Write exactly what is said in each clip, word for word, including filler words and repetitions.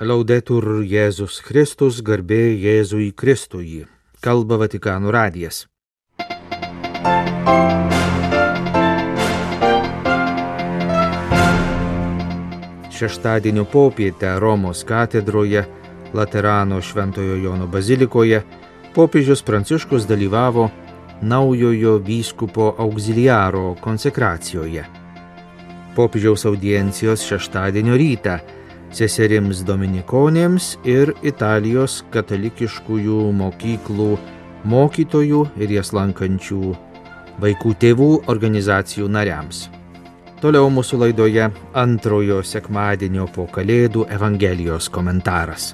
Laudetur Jėzus Kristus, garbė Jėzui Kristui. Kalba Vatikano radijas. Šeštadienio popietę Romos katedroje, Laterano Šventojo Jono bazilikoje, popiežius Pranciškus dalyvavo naujojo vyskupo auxiliaro konsekracijoje. Popiežiaus audiencijos šeštadienio rytą seserims dominikonėms ir Italijos katalikiškųjų mokyklų mokytojų ir jas lankančių vaikų tėvų organizacijų nariams. Toliau mūsų laidoje antrojo sekmadienio po Kalėdų Evangelijos komentaras.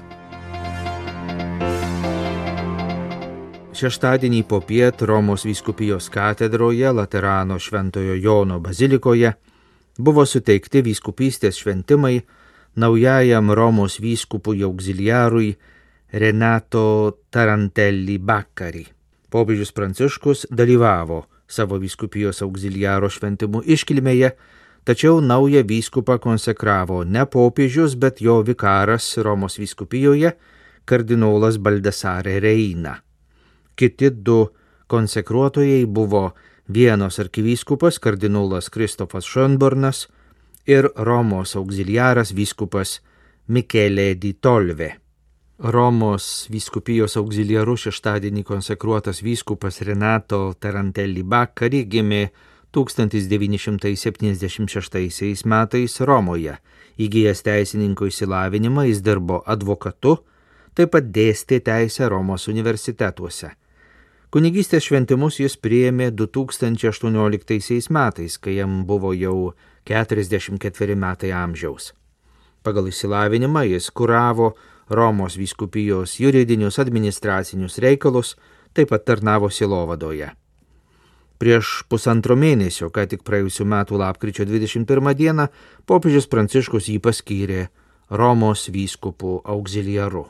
Šeštadienį popiet Romos vyskupijos katedroje Laterano Šventojo Jono bazilikoje buvo suteikti vyskupystės šventimai naujajam Romos vyskupui auxiliarui Renato Tarantelli Baccari. Popiežius Pranciškus dalyvavo savo vyskupijos auxiliaro šventimų iškilmėje, tačiau naują vyskupą konsekravo ne popiežius, bet jo vikaras Romos vyskupijoje, kardinolas Baldassare Reina. Kiti du konsekruotojai buvo Vienos arkivyskupas kardinolas Kristofas Schönbornas ir Romos auxiliaras vyskupas Michele di Tolve. Romos vyskupijos auxiliaru šeštadienį konsekruotas vyskupas Renato Tarantelli Baccari gimė tūkstantis devyni šimtai septyniasdešimt šeštaisiais metais Romoje. Įgijęs teisininko išsilavinimą, jis dirbo advokatu, taip pat dėstė teisę Romos universitetuose. Kunigystės šventimus jis priėmė du tūkstančiai aštuonioliktaisiais metais, kai jam buvo jau keturiasdešimt ketveri metai amžiaus. Pagal išsilavinimą jis kuravo Romos vyskupijos juridinius administracinius reikalus, taip pat tarnavo sielovadoje. Prieš pusantro mėnesio, ką tik praėjusių metų lapkričio dvidešimt pirmą dieną, popiežius Pranciškus jį paskyrė Romos vyskupų auxiliaru.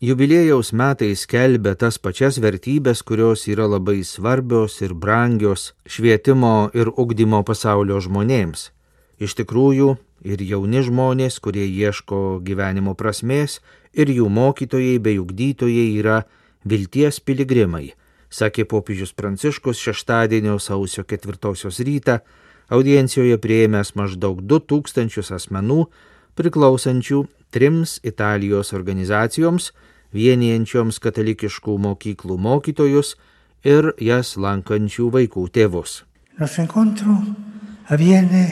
Jubiliejaus metai skelbia tas pačias vertybės, kurios yra labai svarbios ir brangios švietimo ir ugdymo pasaulio žmonėms. Iš tikrųjų, ir jauni žmonės, kurie ieško gyvenimo prasmės, ir jų mokytojai bei ugdytojai yra vilties piligrimai, sakė popiežius Pranciškus šeštadienio sausio ketvirtosios rytą, audiencijoje priėmęs maždaug du tūkstančius asmenų, priklausančių trims Italijos organizacijoms, vienijančioms katalikiškų mokyklų mokytojus ir jas lankančių vaikų tėvus. Nostro incontro avviene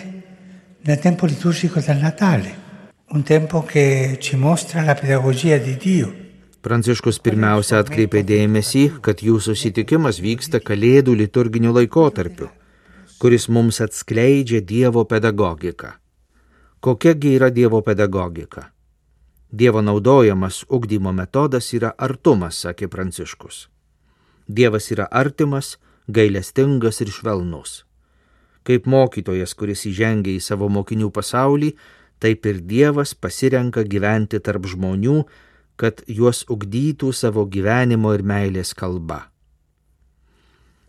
nel tempo liturgico del Natale, un tempo che ci mostra la pedagogia di Dio. Pranciškus pirmiausia atkreipė dėmesį, kad jų susitikimas vyksta Kalėdų liturginiu laikotarpiu, kuris mums atskleidžia Dievo pedagogiką. Kokiagi yra Dievo pedagogika? Dievo naudojamas ugdymo metodas yra artumas, sakė Pranciškus. Dievas yra artimas, gailestingas ir švelnus. Kaip mokytojas, kuris įžengia į savo mokinių pasaulį, taip ir Dievas pasirenka gyventi tarp žmonių, kad juos ugdytų savo gyvenimo ir meilės kalba.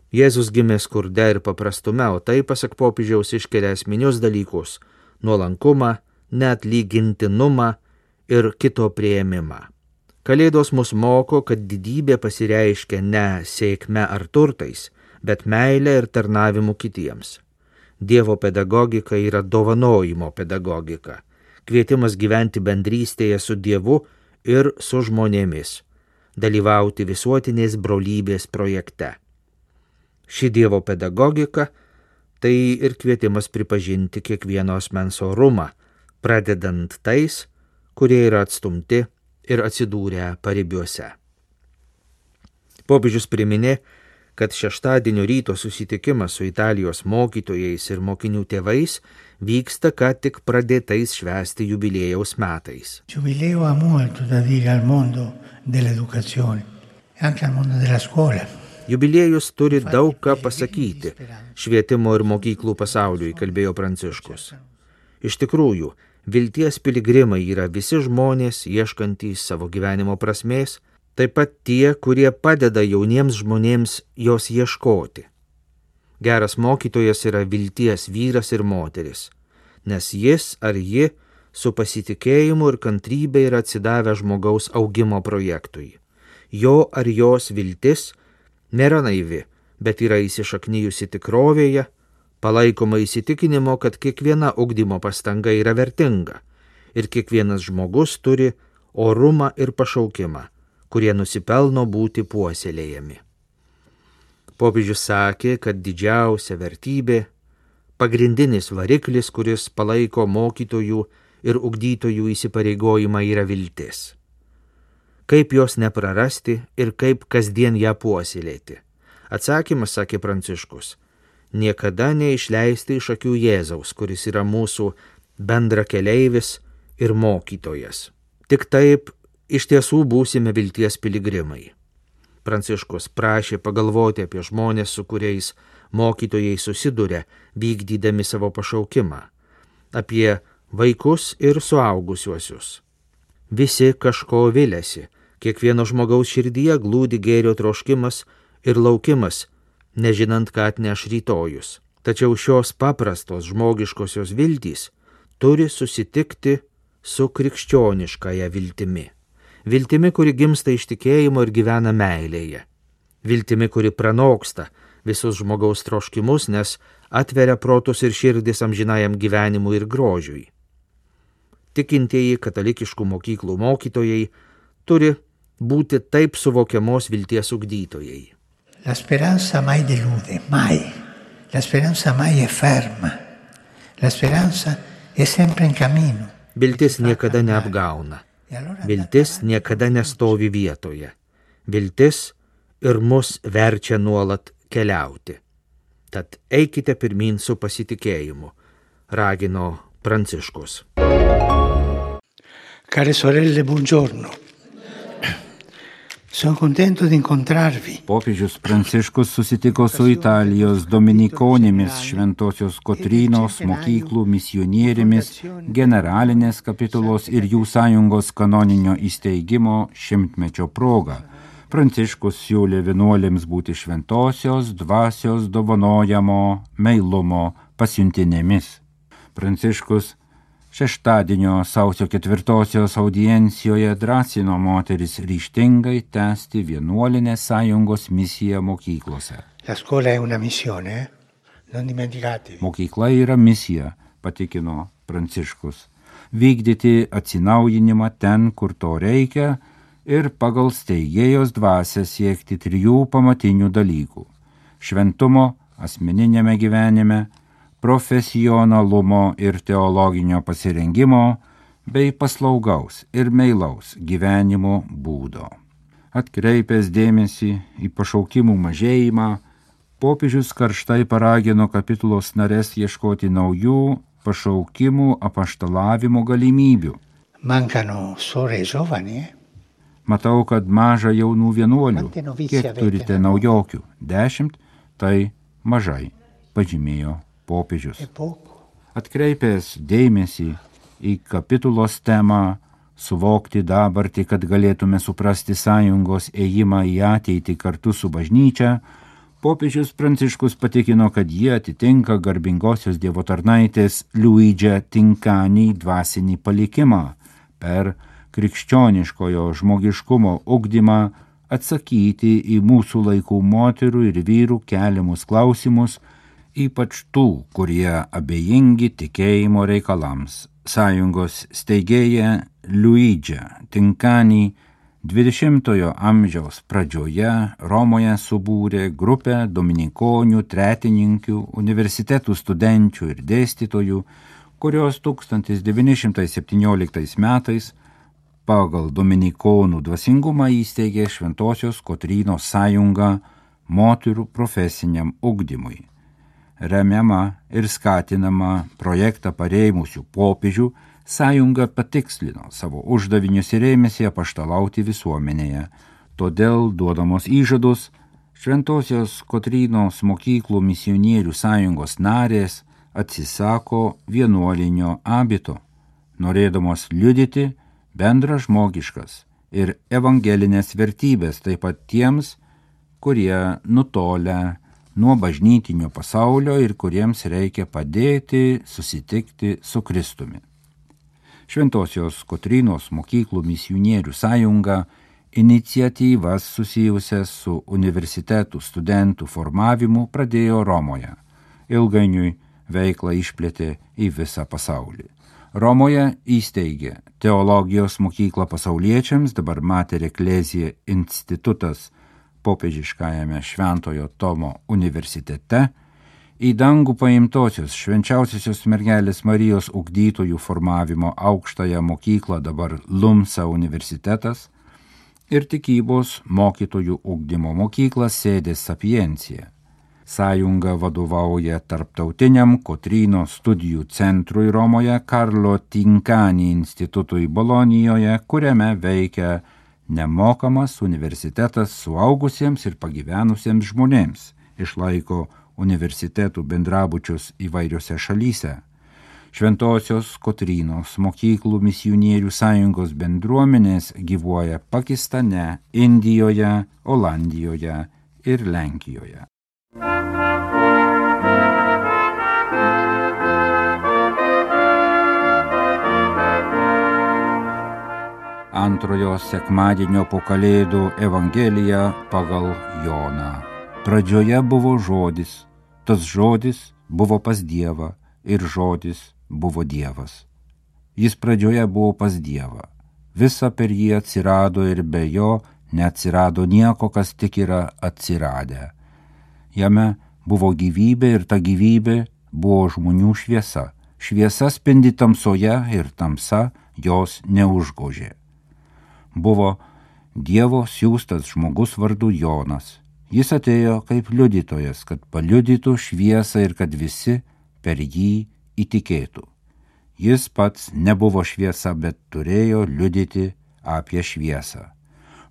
Jėzus gimė skurde ir paprastume, o tai, pasak popiežiaus, iškelia esminius dalykus – nuolankumą, neatlygintinumą ir kito priėmimą. Kalėdos mus moko, kad didybė pasireiškia ne sėkme ar turtais, bet meilė ir tarnavimu kitiems. Dievo pedagogika yra dovanojimo pedagogika, kvietimas gyventi bendrystėje su Dievu ir su žmonėmis, dalyvauti visuotinės brolybės projekte. Ši Dievo pedagogika tai ir kvietimas pripažinti kiekvieno asmens orumą, pradedant tais, kurie yra atstumti ir atsidūrę paribiuose. Popiežius priminė, kad šeštadienio ryto susitikimas su Italijos mokytojais ir mokinių tėvais vyksta ką tik pradėtais švęsti jubiliejaus metais. Jubileo ha molto da dire al mondo dell'educazione, anche al mondo della scuola. Jubiliejus turi daug ką pasakyti švietimo ir mokyklų pasauliui, kalbėjo Pranciškus. Iš tikrųjų, vilties piligrimai yra visi žmonės, ieškantys savo gyvenimo prasmės, taip pat tie, kurie padeda jauniems žmonėms jos ieškoti. Geras mokytojas yra vilties vyras ir moteris, nes jis ar ji su pasitikėjimu ir kantrybė yra atsidavę žmogaus augimo projektui. Jo ar jos viltis nėra naivi, bet yra įsišaknyjusi tikrovėje, palaikoma įsitikinimo, kad kiekviena ugdymo pastanga yra vertinga ir kiekvienas žmogus turi orumą ir pašaukimą, kurie nusipelno būti puoselėjami. Popiežius sakė, kad didžiausia vertybė, pagrindinis variklis, kuris palaiko mokytojų ir ugdytojų įsipareigojimą, yra viltis. Kaip jos neprarasti ir kaip kasdien ją puoselėti? Atsakymas, sakė Pranciškus, niekada neišleisti iš akių Jėzaus, kuris yra mūsų bendrakeleivis ir mokytojas. Tik taip iš tiesų būsime vilties piligrimai. Pranciškus prašė pagalvoti apie žmonės, su kuriais mokytojai susiduria, vykdydami savo pašaukimą, apie vaikus ir suaugusiuosius. Visi kažko viliasi, kiekvieno žmogaus širdyje glūdi gėrio troškimas ir laukimas, nežinant, ką atneš rytojus. Tačiau šios paprastos žmogiškosios viltys turi susitikti su krikščioniškąja viltimi. Viltimi, kuri gimsta iš tikėjimo ir gyvena meilėje. Viltimi, kuri pranoksta visus žmogaus troškimus, nes atveria protus ir širdis amžinajam gyvenimui ir grožiui. Tikintieji katalikiškų mokyklų mokytojai turi būti taip suvokiamos vilties ugdytojai. La speranza mai delude, mai. La speranza mai è ferma. La speranza è sempre in cammino. Viltis niekada neapgauna. Viltis niekada nestovi vietoje. Viltis ir mus verčia nuolat keliauti. Tad eikite pirmyn su pasitikėjimu, ragino Pranciškus. Care sorelle, buongiorno. Sono contento di incontrarvi. Popiežius Pranciškus susitiko su Italijos dominikonėmis Šventosios Kotrynos mokyklų misionierėmis generalinės kapitulos ir jų sąjungos kanoninio įsteigimo šimtmečio proga. Pranciškus siūlė vienuolėms būti šventosios dvasios dovanojamo meilumo pasiuntinėmis. Pranciškus šeštadienio sausio ketvirtosios audiencijoje drąsino moteris ryžtingai tęsti vienuolinės sąjungos misiją mokyklose. La scuola è una missione, eh? Non dimenticatevi. Mokykla yra misija, patikino Pranciškus. Vykdyti atsinaujinimą ten, kur to reikia, ir pagal steigėjos dvasią siekti trijų pamatinių dalykų – šventumo asmeninėme gyvenime, profesionalumo ir teologinio pasirengimo, bei paslaugaus ir meilaus gyvenimo būdo. Atkreipęs dėmesį į pašaukimų mažėjimą, popiežius karštai paragino kapitulos narės ieškoti naujų pašaukimų apaštalavimo galimybių. Mancano sore giovani, eh? Matau, kad maža jaunų vienuolių. Kiek turite naujokių? Dešimt? Tai mažai, pažymėjo popiežius. Atkreipęs dėmesį į kapitulos temą, suvokti dabartį, kad galėtume suprasti sąjungos ėjimą į ateitį kartu su bažnyčia, popiežius Pranciškus patikino, kad jie atitinka garbingosios Dievo tarnaitės Luigi Tincani dvasinį palikimą per krikščioniškojo žmogiškumo ugdymą atsakyti į mūsų laikų moterų ir vyrų keliamus klausimus, ypač tų, kurie abejingi tikėjimo reikalams. Sąjungos steigėja Luigi Tincani dvidešimtojo amžiaus pradžioje Romoje subūrė grupę dominikonių, tretininkių, universitetų studenčių ir dėstytojų, kurios tūkstantis devyni šimtai septynioliktais metais pagal dominikonų dvasingumą įsteigė Šventosios Kotrynos sąjungą moterų profesiniam ugdymui. Remiama ir skatinama projektą parėmusių popiežių, sąjunga patikslino savo uždavinius ir ėmėsi apaštalauti visuomenėje. Todėl, duodamos įžadus, Šventosios Kotrynos mokyklų misionierių sąjungos narės atsisako vienuolinio abito, norėdamos liudyti bendra žmogiškas ir evangelinės vertybės taip pat tiems, kurie nutolę nuo bažnytinio pasaulio ir kuriems reikia padėti susitikti su Kristumi. Šventosios Kotrynos mokyklų misionierių sąjunga iniciatyvas susijusias su universitetų studentų formavimu pradėjo Romoje. Ilgainiui veiklą išplėtė į visą pasaulį. Romoje įsteigė teologijos mokyklą pasauliečiams, dabar Mater Ecclesiae institutas popiežiškajame Šventojo Tomo universitete, į dangų paimtosios švenčiausiosios mergelės Marijos ugdytojų formavimo aukštąją mokyklą, dabar Lumsa universitetas, ir tikybos mokytojų ugdymo mokyklą Sede Sapientia. Sąjunga vadovauja tarptautiniam Kotrynos studijų centrui Romoje, Karlo Tinkani institutui Bolonijoje, kuriame veikia nemokamas universitetas suaugusiems ir pagyvenusiems žmonėms, išlaiko universitetų bendrabučius įvairiose šalyse. Šventosios Kotrynos mokyklų misionierių sąjungos bendruomenės gyvuoja Pakistane, Indijoje, Olandijoje ir Lenkijoje. Antrojo sekmadienio po Kalėdų Evangelija pagal Joną. Pradžioje buvo žodis, tas žodis buvo pas Dievą ir žodis buvo Dievas. Jis pradžioje buvo pas Dievą. Visa per jį atsirado ir be jo neatsirado nieko, kas tik yra atsiradę. Jame buvo gyvybė ir ta gyvybė buvo žmonių šviesa. Šviesa spindi tamsoje ir tamsa jos neužgožė. Buvo Dievo siųstas žmogus vardu Jonas. Jis atėjo kaip liudytojas, kad paliudytų šviesą ir kad visi per jį įtikėtų. Jis pats nebuvo šviesa, bet turėjo liudyti apie šviesą.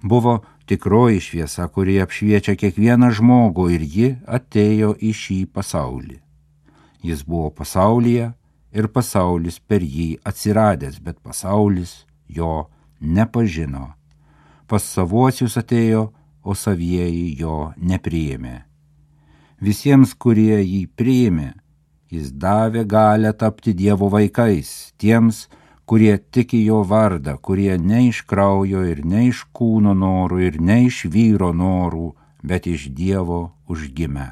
Buvo tikroji šviesa, kuri apšviečia kiekvieną žmogų, ir ji atėjo į šį pasaulį. Jis buvo pasaulyje ir pasaulis per jį atsiradęs, bet pasaulis jo nepažino. Pas savuosius atėjo, o savieji jo nepriėmė. Visiems, kurie jį priėmė, jis davė galią tapti Dievo vaikais, tiems, kurie tiki jo vardą, kurie ne iš kraujo ir ne iš kūno norų ir ne iš vyro norų, bet iš Dievo užgimę.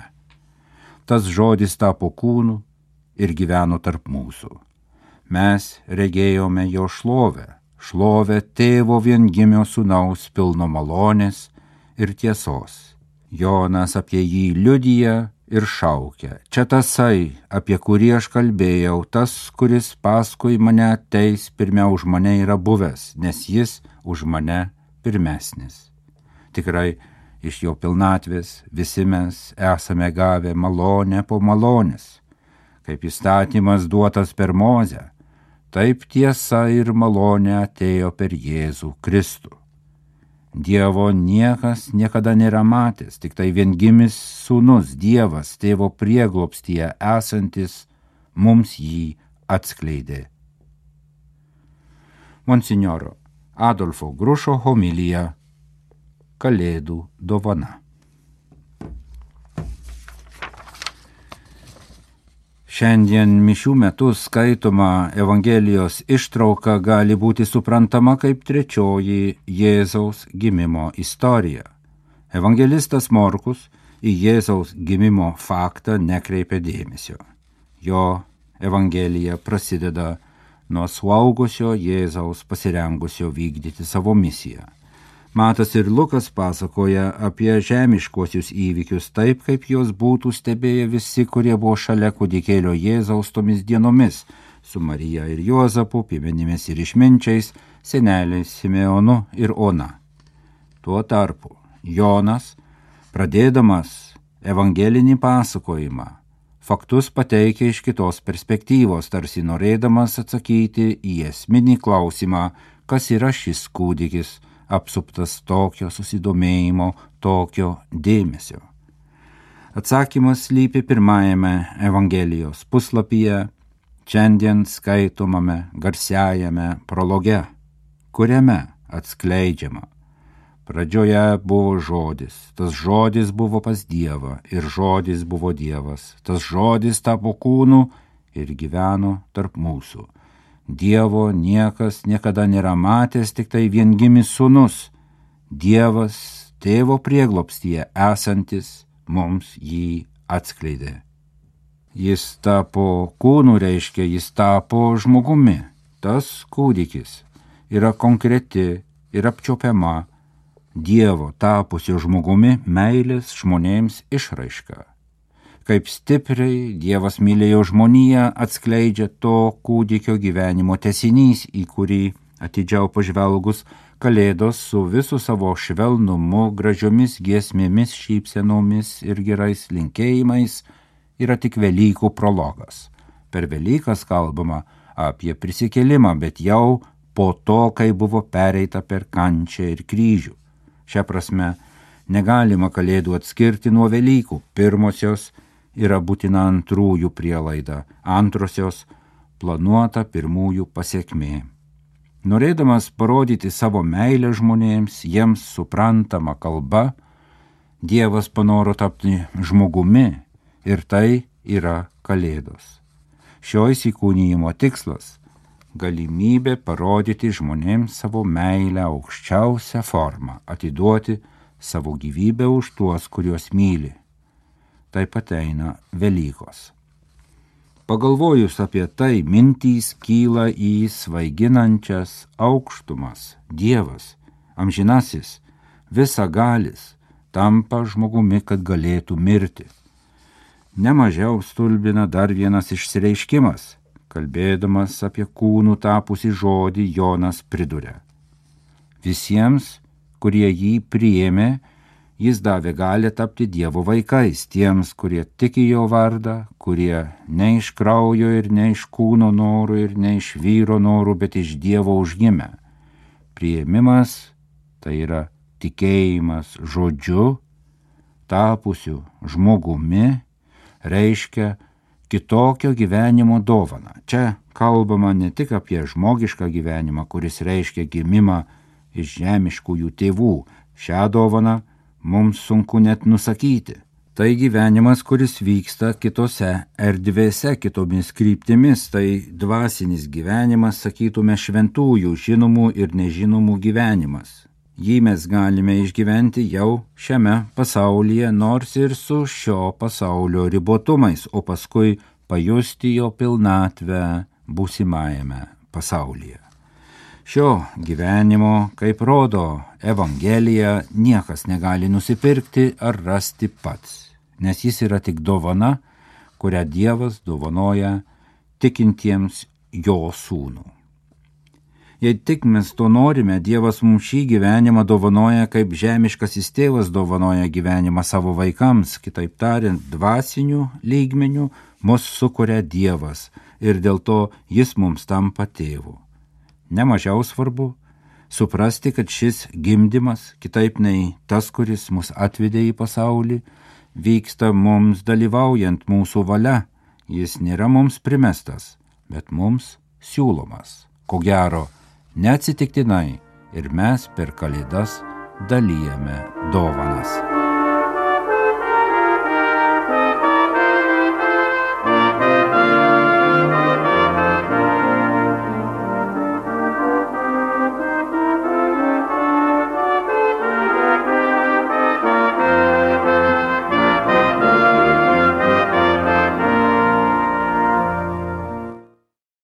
Tas žodis tapo kūnu ir gyveno tarp mūsų. Mes regėjome jo šlovę, šlovę tėvo viengimio sūnaus pilno malonės ir tiesos. Jonas apie jį liudija ir šaukia. Čia tasai, apie kurį aš kalbėjau, tas, kuris paskui mane ateis, pirmiau už mane yra buvęs, nes jis už mane pirmesnis. Tikrai, iš jo pilnatvės visi mes esame gavę malonę po malonės. Kaip įstatymas duotas per Mozę, taip tiesa ir malonė atėjo per Jėzų Kristų. Dievo niekas niekada nėra matęs, tik tai viengimis sūnus Dievas tėvo prieglobstyje esantis mums jį atskleidė. Monsinjoro Adolfo Grušo homilija Kalėdų dovana. Šiandien mišių metu skaitoma Evangelijos ištrauka gali būti suprantama kaip trečioji Jėzaus gimimo istorija. Evangelistas Morkus į Jėzaus gimimo faktą nekreipia dėmesio. Jo Evangelija prasideda nuo suaugusio Jėzaus pasirengusio vykdyti savo misiją. Matas ir Lukas pasakoja apie žemiškuosius įvykius taip, kaip juos būtų stebėję visi, kurie buvo šalia kūdikėlio Jėzaus tomis dienomis, su Marija ir Juozapu, piemenimis ir išminčiais, seneliais Simeonu ir Ona. Tuo tarpu Jonas, pradėdamas evangelinį pasakojimą, faktus pateikia iš kitos perspektyvos, tarsi norėdamas atsakyti į esminį klausimą, kas yra šis kūdikis, apsuptas tokio susidomėjimo, tokio dėmesio. Atsakymas slypi pirmajame Evangelijos puslapyje, šiandien skaitomame garsiajame prologe, kuriame atskleidžiama. Pradžioje buvo žodis, tas žodis buvo pas Dievą ir žodis buvo Dievas, tas žodis tapo kūnu ir gyveno tarp mūsų. Dievo niekas niekada nėra matęs, tik tai viengimis sūnus, Dievas tėvo prieglobstyje esantis mums jį atskleidė. Jis tapo kūnu, reiškia, jis tapo žmogumi. Tas kūdikis yra konkreti ir apčiopiama Dievo tapusio žmogumi meilės žmonėms išraiška. Kaip stipriai Dievas mylėjo žmoniją, atskleidžia to kūdikio gyvenimo tęsinys, į kurį atidžiau pažvelgus Kalėdos su visu savo švelnumu, gražiomis giesmėmis, šypsenomis ir gerais linkėjimais yra tik Velykų prologas. Per Velykas kalbama apie prisikėlimą, bet jau po to, kai buvo pereita per kančią ir kryžių. Šia prasme, negalima Kalėdų atskirti nuo Velykų. Pirmosios yra būtina antrųjų prielaida, antrosios planuota pirmųjų pasiekmė. Norėdamas parodyti savo meilę žmonėms, jiems suprantama kalba, Dievas panoro tapti žmogumi ir tai yra Kalėdos. Šio įsikūnijimo tikslas – galimybė parodyti žmonėms savo meilę aukščiausią formą, atiduoti savo gyvybę už tuos, kuriuos myli. Taip pat eina Velykos. Pagalvojus apie tai, mintys kyla į svaiginančias aukštumas. Dievas, amžinasis, visagalis, tampa žmogumi, kad galėtų mirti. Nemažiau stulbina dar vienas išsireiškimas. Kalbėdamas apie kūnų tapusį žodį, Jonas priduria. Visiems, kurie jį priėmė, jis davė galią tapti Dievo vaikais, tiems, kurie tiki jo vardą, kurie ne iš kraujo ir ne iš kūno norų ir ne iš vyro norų, bet iš Dievo užgimę. Priėmimas tai yra tikėjimas žodžiu, tapusiu žmogumi, reiškia kitokio gyvenimo dovaną. Čia kalbama ne tik apie žmogišką gyvenimą, kuris reiškia gimimą iš žemiškųjų tėvų. Šią dovaną mums sunku net nusakyti. Tai gyvenimas, kuris vyksta kitose erdvėse, kitomis kryptimis, tai dvasinis gyvenimas, sakytume, šventųjų, žinomų ir nežinomų gyvenimas. Jį mes galime išgyventi jau šiame pasaulyje, nors ir su šio pasaulio ribotumais, o paskui pajusti jo pilnatvę būsimajame pasaulyje. Šio gyvenimo, kaip rodo Evangelija, niekas negali nusipirkti ar rasti pats, nes jis yra tik dovana, kurią Dievas dovanoja tikintiems jo sūnų. Jei tik mes to norime, Dievas mums šį gyvenimą dovanoja, kaip žemiškasis tėvas dovanoja gyvenimą savo vaikams, kitaip tariant, dvasinių lygmenių mus sukuria Dievas ir dėl to jis mums tampa tėvu. Nemažiau svarbu suprasti, kad šis gimdymas, kitaip nei tas, kuris mus atvedė į pasaulį, vyksta mums dalyvaujant mūsų valia. Jis nėra mums primestas, bet mums siūlomas. Ko gero, neatsitiktinai ir mes per Kalėdas dalijame dovanas.